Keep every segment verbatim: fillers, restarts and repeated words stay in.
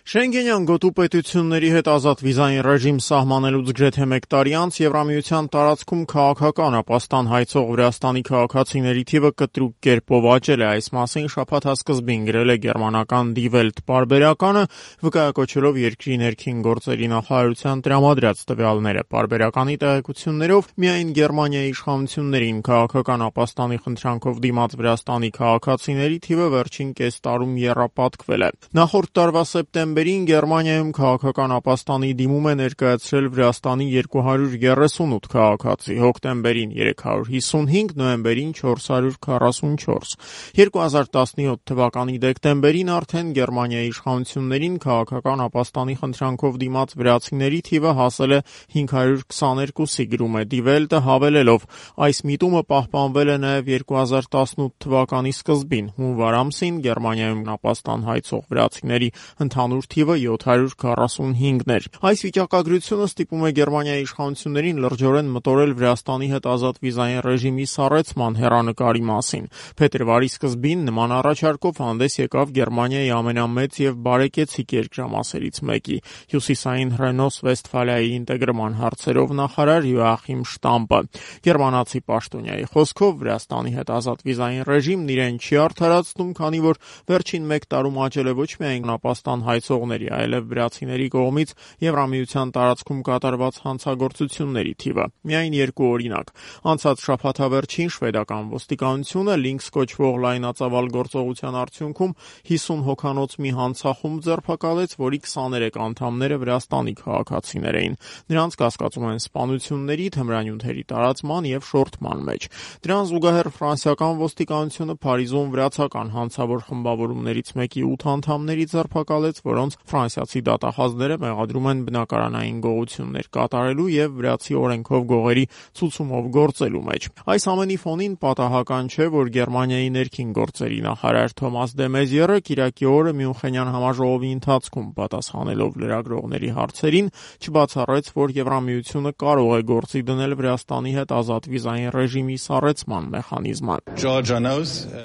Շենգենյան գոտու պետությունների հետ ազատ վիզային ռեժիմ սահմանելուց գրեթե մեկ տարի անց Եվրամիության տարածքում քաղաքական ապաստան հայցող Վրաստանի քաղաքացիների թիվը կտրուկ կերպով աճել է։ Այս մասին շաբաթ սկզբին գրել է գերմանական Die Welt պարբերականը, վկայակոչելով երկրի ներքին գործերի նախարարության տրամադրած տվյալները։ Պարբերականի տեղեկություններով միայն Գերմանիայի իշխանություններին քաղաքական ապաստանի խնդրանքով դիմաց Վրաստանի քաղաքացիների թիվը վերջին կես տարում եռապատկվել է։ Նախորդ տարվա սեպտեմբերին Գերմանիայում քաղաքական ապաստանի դիմում է ներկայացրել Վրաստանի երկու հարյուր երեսունութ քաղաքացի, հոկտեմբերին երեք հարյուր հիսունհինգ, նոյեմբերին չորս հարյուր քառասունչորս։ երկու հազար տասնյոթ թվականի դեկտեմբերին արդեն Գերմանիայի իշխանություններին քաղաքական ապաստանի խնդրանքով դիմաց վրացիների թիվը հասել է հինգ հարյուր քսաներկուսի, գրում է Die Welt-ը, հավելելով. այս միտումը պահպանվել է նաև երկու հազար տասնութ թվականի սկզբին, հունվար ամսին Գերմանիայում ապաստան հայցող վրացիների ընդհանուր թիվը յոթ հարյուր քառասունհինգն էր։ Այս վիճակագրությունը ստիպում է Գերմանիայի իշխանություններին լրջորեն մտորել Վրաստանի հետ ազատ վիզային ռեժիմի սառեցման հեռանկարի մասին։ Փետրվարի սկզբին նման առաջարկով հանդես եկավ Գերմանիայի ամենամեծ եւ բարեկեցիկ երկրամասերից մեկի՝ Հյուսիսային Ռենոս-Վեստֆալիայի ինտեգրման հարցերով նախարար Յոախիմ Շտամպը։ Գերմանացի պաշտոնյայի խոսքով Վրաստանի հետ ազատ վիզային ռեժիմն իրեն չի արդարացնում, քանի որ վերջին մեկ տարում աճել է ոչ միայն ապաստան հայցողների, այլև վրացիների կողմից Եվրամիության տարածքում կատարված հանցագործությունների թիվը։ Միայն երկու օրինակ։ Անցած շաբաթավերջին շվեդական ոստիկանությունը Lynx կոչվող լայնածավալ գործողության արդյունքում հիսուն հոգանոց մի հանցախումբ ձերբակալեց, որի քսաներեք անդամները Վրաստանի քաղաքացիներ էին։ Նրանց կասկածում են սպանությունների, թմրանյութերի տարածման եւ շորթման մեջ։ Դրան զուգահեռ ֆրանսիական ոստիկանությունը Փարիզում վրացական հանցավոր խմբավորումներից մեկի ութ անդամների ձերբակալեց, որոնց ֆրանսիացի դատախազները մեղադրում են բնակարանային գողություններ կատարելու եւ վրացի օրենքով գողերի ցուցումով գործելու մեջ։ Այս ամենի ֆոնին պատահական չէ, որ Գերմանիայի ներքին գործերի նախարար Թոմաս դե Մեզիերը կիրակի օրը Մյունխենյան համաժողովի ընթացքում պատասխանելով լրագրողների հարցերին չբացառեց, որ Եվրամիությունը կարող է գործի դնել Վրաստանի հետ ազատ վիզային ռեժիմի սառեցման մեխանիզմը։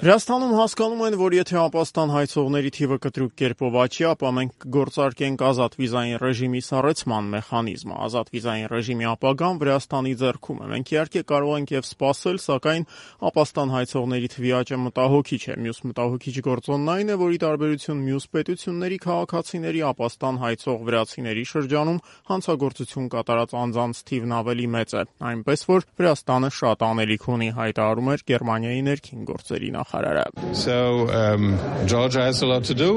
Վրաստանում հասկանում են, որ եթե ապաստան հայցողների թիվը կտրուկ կերպով աճի, ապա մենք կգործարկենք ազատ վիզային ռեժիմի սառեցման մեխանիզմը։ Ազատ վիզային ռեժիմի ապագան Վրաստանի ձեռքում է։ Մենք իհարկե կարող ենք եւ սպասել, սակայն ապաստան հայցողների թվի աճը մտահոգիչ է։ Մյուս մտահոգիչ գործոնն այն է, որ ի տարբերություն մյուս պետությունների քաղաքացիների ապաստան հայցող վրացիների շրջանում հանցագործություն կատարած անձանց թիվն ավելի մեծ է։ Այնպես որ Վրաստանը շատ անելիք ունի, հայտարարում էր Գերմանիայի ներքին գործերի նախարարը։ So um, Georgia has a lot to do.